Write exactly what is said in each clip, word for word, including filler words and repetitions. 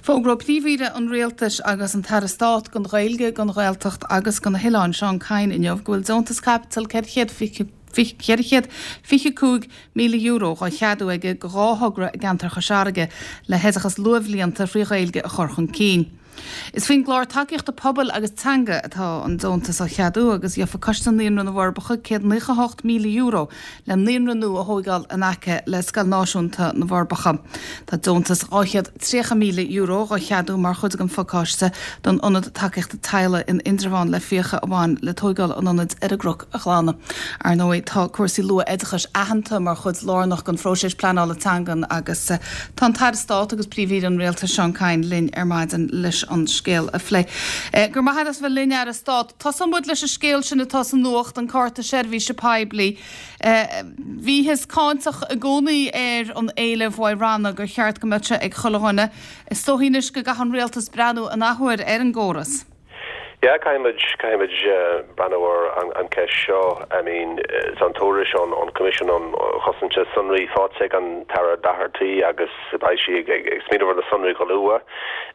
Fógraíodh Príomh-Aire an Rialtais agus an tAire Stáit don Ghaeilge, don Ghaeltacht agus do na hOileáin Seán Kyne inniu go bhfuil deontas caipitil ceithre chéad fiche cúig míle euro á cheadú aige do dhá thogra i gceantar Chois Fharraige le hoideachas luathbhlianta trí Ghaeilge a chur chun cinn. Is faoin gclár tacaíochta pobail agus teanga atá an deontas á cheadú agus gheofaidh Coiste Naíonra na bhForbacha céad naocha hocht míle euro le naíonra nua a thógáil in aice le Scoil Náisiúnta na bhForbacha. Tá deontas dhá chéad tríocha míle euro á cheadú mar chuid den phacáiste don Ionad Tacaíochta Teaghlaigh in Indreabhán le fiacha a bhain le tógáil an ionaid ar an gCnoc a ghlanadh. Ar ndóigh tá cúrsaí luath-oideachais aitheanta mar chuid lárnach den phróiseas pleanála teangan agus tá an tAire Stáit agus Príomh-Aire an Rialtais Seán Kyne linn ar maidin leis an scéal a phlé. Go raibh maith agat as bheith linn Aire Stáit. Tosóidh muid leis an scéal sin atá sa nuacht an cárta seirbhíse poiblí. Bhíothas cáinteach i gcónaí ar an éileamh uaidh ranna gur cheart go mbeadh sé ag chuile dhuine. Is dóigh anois go gcaithfidh an rialtas breathnú an athuair ar an gcóras. Yeah, caithfimid caithfimid breathnú ar an, an ceist seo. I mean, tá an tuairisc ón an Coimisiún um Chosaint Sonraí faighte ag an tAire Doherty agus beidh sí ag, ag, ag smaoineamh ar na sonraí go luath.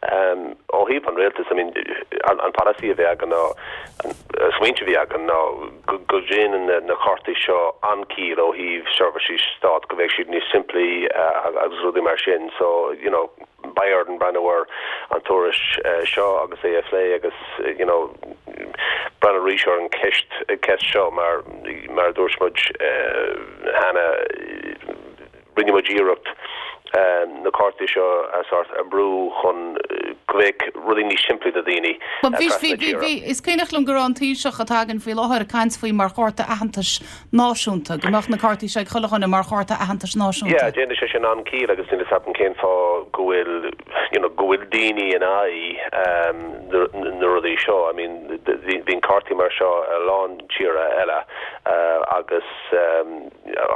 Um, ó thaobh an rialtas, I mean, an, an polasaí a bhí againn ná an smaointe a bhí againn ná go, go ndéanann na, na cártaí seo an-chiall ó thaobh seirbhísí stát go mbeidh siad níos simplí uh, agus rudaí mar sin. So, you know, beidh orainn breathnú ar an tuairisc uh, seo agus é a phlé agus you know, breathnú arís ar an ceist ceist seo mar mar dúirt muid uh, cheana rinne muid iarracht um, na cártaí seo a sort a brú chun go mbeadh rudaí níos simplí do daoine. Is cuimhin liom go raibh an Taoiseach atá againn faoi láthair ag caint faoi mar chárta aitheantais náisiúnta, go mbeadh na cártaí seo ag chuile dhuine mar chárta aitheantais náisiúnta. Yeah, déanann sé sin an-chiall agus níl a fhios agam cén fáth go bhfuil you know, go bhfuil daoine in aghaidh um, na rudaí seo. I mean, bhíonn cártaí mar seo a lán tíortha eile uh, agus um,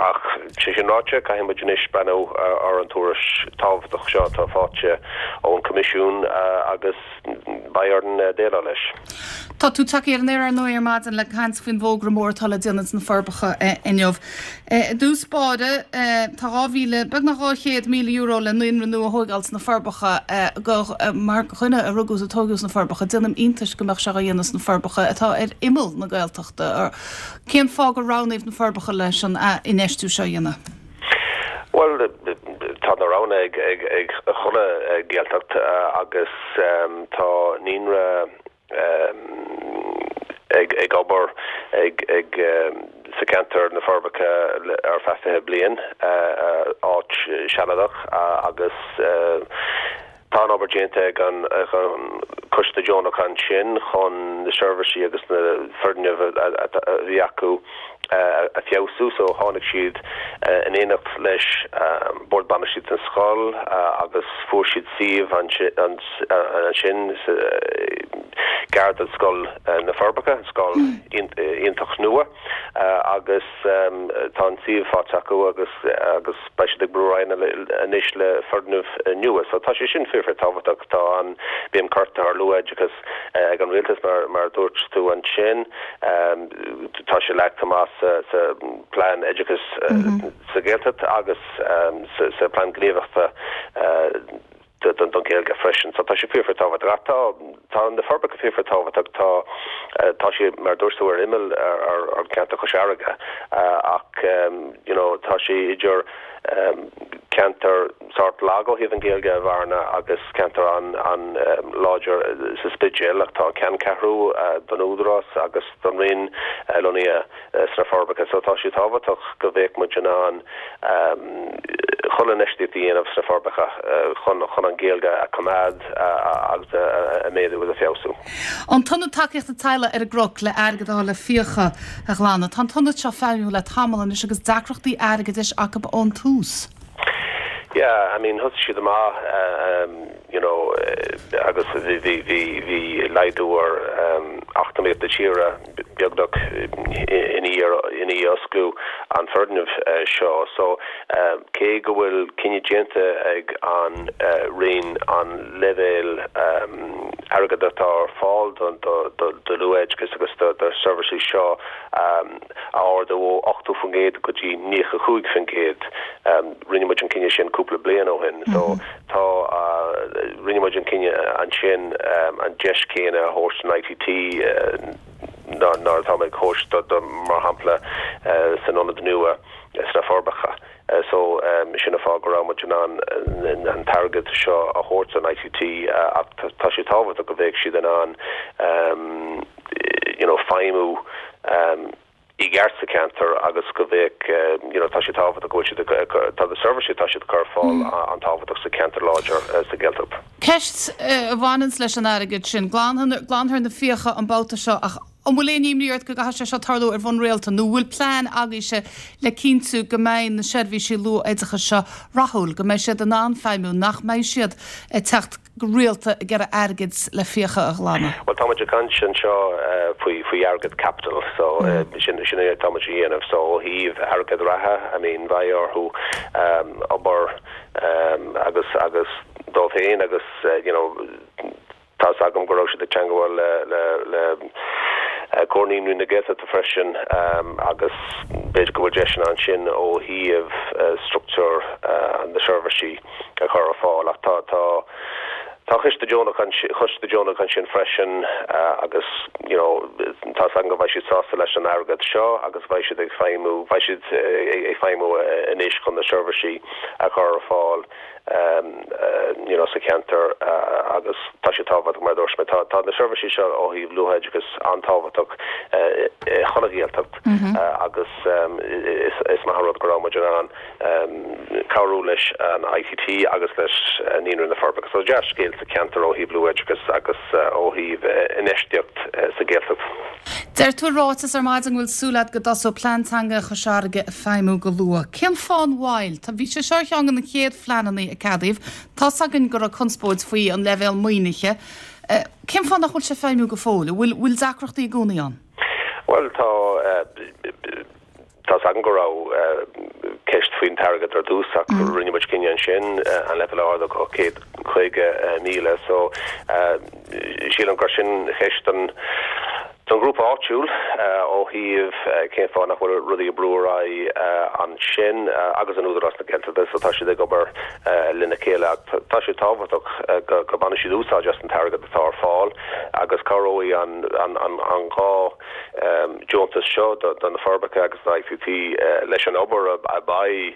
ach sé sin ráite caithfidh muid anois breathnú ar an tuairisc tábhachtach seo atá faighte ón Coimisiún uh, agus beidh orainn uh, déileáil leis. Tá tú tagtha ar an aer ar ndóigh ar maidin le caint faoin bhfógra mór atá le déanamh sna Forbacha inniu. I dtús báire tá dhá mhíle beagnach dhá chéad míle euro le naíonra nua a thógáil sna Forbacha go mar dhuine a rugadh is a tógadh sna Forbacha, déanaim iontas go mbeadh sé á dhéanamh sna Forbacha atá ar imeall na Gaeltachta. Cén fáth gur roghnaíodh na Forbacha leis an infheistiú seo a dhéanamh? Well tá na roghanna ag ag ag chuile Ghaeltacht agus um, tá naíonra um, ag ag obair ag ag um, sa ceantar na Forbacha ar feadh fiche bliain uh, áit sealadach uh, agus uh, tá an obair déanta ag an an coiste deonach ansin chun na seirbhísí agus na foirgnimh a bhí acu a feabhsú so tháinig siad in éineacht leis bord bainistíochta an scoil agus fuair siad suíomh ansin gar do scoil na Forbacha scoil iontach nua agus tá an suíomh faighte acu agus agus beidh siad ag brú anois le foirgneamh nua so tá sé sin fíor tábhachtach tá an béim curtha ar luathoideachas ag an rialtas mar mar dúirt tú ansin tá sé leagtha amach sa sa plean oideachais sa Ghaeltacht agus sa sa plean gníomhaíochta don don Ghaeilge freisin so tá sé fíor tábhachtach tá tá na Forbacha fíor tábhachtach tá tá sé mar dúirt tú ar imeall ar ar ceantar Chois Fharraige ach you know tá sé idir um, ceantar sort lag ó thaobh an Ghaeilge a Bhearna agus ceantar an an um, láidir sa Spidéal ach tá ceanncheathrú uh, don Údarás agus don Roinn uh, lonnaithe uh, sna Forbacha so tá sé tábhachtach go mbeadh muid in ann um, chuile infheistíocht a dhéanamh sna Forbacha uh, chun chun an Ghaeilge a choimeád uh, agus a, a méadú agus a feabhsú. An tIonad Tacaíochta Teaghlaigh ar an gCnoc le airgead le fiacha a ghlanadh. Tá an t-ionad seo feidhmiúil le tamall anois agus deacrachtaí airgeadais acu ón tús. Yeah, I mean thosaigh siad amach um, you know uh, agus bhí bhí bhí bhí laghdú ar um, eacnamaíocht na tíre beagnach ina i ndiaidh osclú an foirgneamh seo. So cé go bhfuil cinneadh déanta ag an Roinn an leibhéal airgead atá ar fáil don do luathoideachas agus do do seirbhísí seo a ardú ó ochtó faoin gcéad go dtí nócha cúig faoin gcéad. Rinne muid an cinneadh sin cúpla bliain ó shin. So tá rinne muid an cinneadh ansin an deis céanna a thabhairt don I T T ná ná atá ag tabhairt do mar shampla san ionad nua sna Forbacha. So sin an fáth go raibh muid in ann an t-airgead seo a thabhairt don I T T ach tá sé tábhachtach go mbeidh siad in ann you know feidhmiú i gceart sa ceantar agus go mbeidh you know tá sé tábhachtach go bhfuil siad tá na seirbhísí tá siad cur fáil an tábhachtach sa ceantar láidir sa Ghaeltacht. Ceist a bhaineann leis an airgead sin glanfar na fiacha an babhta seo ach an bhfuil aon imní ort go gcaithfidh sé seo tarlú ar bhonn rialta nó bhfuil plean agaibhse le cinntiú go mbeidh na seirbhísí luathoideachais seo rathúil, go mbeidh siad in ann feidhmiú nach mbeidh siad ag teacht go rialta ag iarraidh airgead le fiacha a ghlanadh. Well tá muid ag caint anseo faoi faoi airgead capital so sin sin é tá muid a dhéanamh so ó thaobh airgead reatha I mean beidh orthu um, obair um, agus agus dóibh féin agus uh, you know tá agam go raibh siad ag teagmháil le le le Comhar Naíonraí na Gaeltachta freisin um, agus b'fhéidir go bhfuil deiseanna ansin ó thaobh uh, struchtúr uh, na seirbhísí a chur ar fáil ach tá tá Tá coiste deonach coiste deonach ansin freisin uh, agus you know tá an go bheidh siad sásta leis an airgead seo agus bheidh siad ag feidhmiú bheidh siad ag feidhmiú anois chun na seirbhísí a chur ar fáil um, uh, you know, sa cheantar uh, agus tá sé tábhachtach mar dúirt mé tá tá na seirbhísí seo ó thaobh luathoideachas an-tábhachtach chun an Ghaeltacht mm -hmm. uh, agus um, is, is maith rud go raibh muid in ann um, cabhrú leis an I T T agus leis uh, Naíonra na Forbacha. So dea-scéal sa cheantar ó thaobh luathoideachas agus uh, ó thaobh uh, infheistíocht uh, sa Ghaeltacht. Deir tú ráiteas ar maidin bhfuil súil agat go dtosóidh plean teanga Chois Fharraige ag feidhmiú go luath. Cén fáth an mhoill? Tá bhí sé seo ceann de na chéad phleananna a ceadaíodh, Tá againn go raibh conspóid faoi an leibhéal maoinithe. Cén fáth nach bhfuil sé feidhmiú go fóill, bhfuil bhfuil deacrachtaí i gcónaí ann? Well tá tá an go raibh ceist faoin t-airgead ar dtús ach mm. rinne muid cinneadh ansin an leibhéal a ardú go céad caoga míle so sílim gur sin ceist an Don grúpa áitiúil ó thaobh cén fáth nach bhfuil rudaí ag brú ar aghaidh ansin agus an Údarás na Gaeltachta so tá siad ag obair lena chéile tá sé tábhachtach go go mbainfidh siad úsáid as an t-airgead atá ar fáil agus cabhróidh an an an an dhá deontas seo do na Forbacha agus na I T T leis an obair a beidh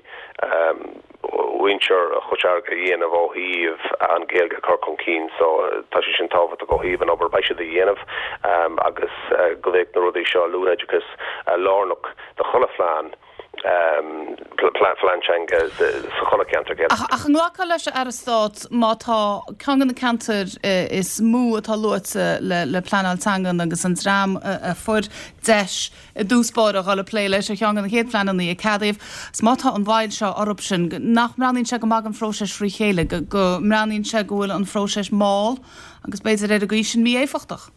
muintir Chois Fharraige a dhéanamh ó thaobh an Ghaeilge chur chun cinn so tá sé sin tábhachtach ó thaobh an obair beidh siad a dhéanamh um, agus uh, go mbeidh na rudaí seo luathoideachas uh, lárnach do chuile phlean um, plean teanga sa chuile cheantar. Ach an nglacfá leis a Aire Stáit má tá ceann de na ceantair is mó atá luaite le, le pleanáil teanga agus an dream a fuair deis i dtús báire a dhul ag plé leis ar cheann de na chéad phleananna a ceadaíodh. 'S má tá an mhoill seo orthu sin nach mbreathnaíonn sé go maith an phróiseas trí chéile go, go mbreathnaíonn sé go bhfuil an phróiseas mall agus b'fhéidir ar an gcaoi sin mí-éifeachtach.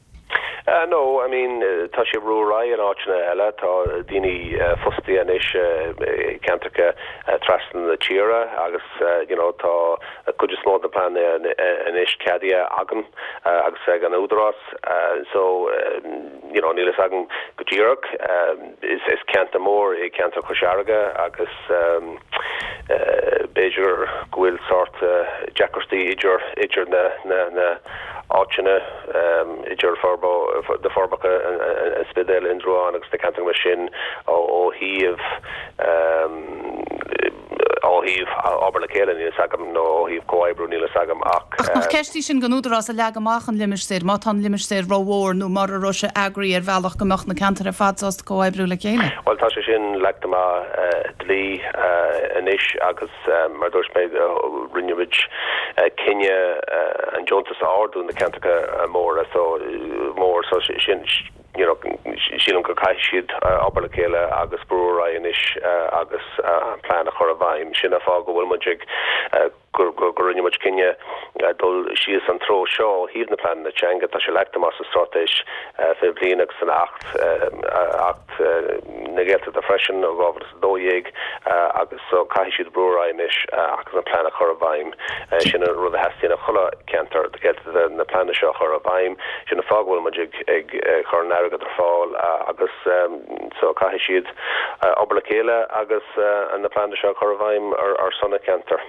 Uh, no, I mean uh, tá sé ruá an áiteanna eile tá daoine uh, fostaithe anois uh, ceantracha uh, trasna na tíre agus uh, you know, tá cuid is mó na pleananna anois ceadaithe agam uh, agus ag an údarás uh, so uh, you know, níl a fhios agam go díreach uh, is, is ceantar mór é ceantar Chois Fharraige agus um, uh, b'fhéidir go bhfuil sórt uh, deacrachtaí idir idir na, na, na áiteanna um, idir Forbo de Forbacha an Spidéal Indreabhán agus na ceantair mar sin ó ó thaobh um, ó thaobh obair le chéile níl a fhios agam nó ó thaobh comhoibriú níl a fhios agam ach Ach nach ceist í sin don údarás a leag amach an limistéar má tá an limistéar rómhór nó mar a raibh sé eagraithe ar bhealach go mbeadh na ceantair ar fad sásta comhoibriú le chéile. Well tá sé sin leagtha amach uh, dlí uh, anois agus uh, mar dúirt mé uh, rinne muid uh, cinneadh uh, an deontas a ardú na ceantracha uh, móra so uh, mór so sin you know sílim go gcaithfidh siad uh, obair le chéile agus brú anois uh, agus uh, an plean a chur i bhfeidhm sin an fáth go bhfuil muid ag uh, gur rinne muid cinneadh dul síos an treo seo ó thaobh na pleananna teanga tá sé leagtha amach sa straitéis fiche bliain agus san Acht Acht na Gaeltachta freisin ó dhá mhíle is a dó dhéag agus so caithfidh siad brú ar aghaidh anois agus an plean a chur i bhfeidhm. Sin an rud a theastaíonn ó chuile cheantar Gaeltachta na pleananna seo a chur i bhfeidhm. Sin an fáth go bhfuil muid ag ag cur an airgead ar fáil agus so caithfidh siad obair le chéile agus na pleananna seo a chur i bhfeidhm ar ar son na ceantar.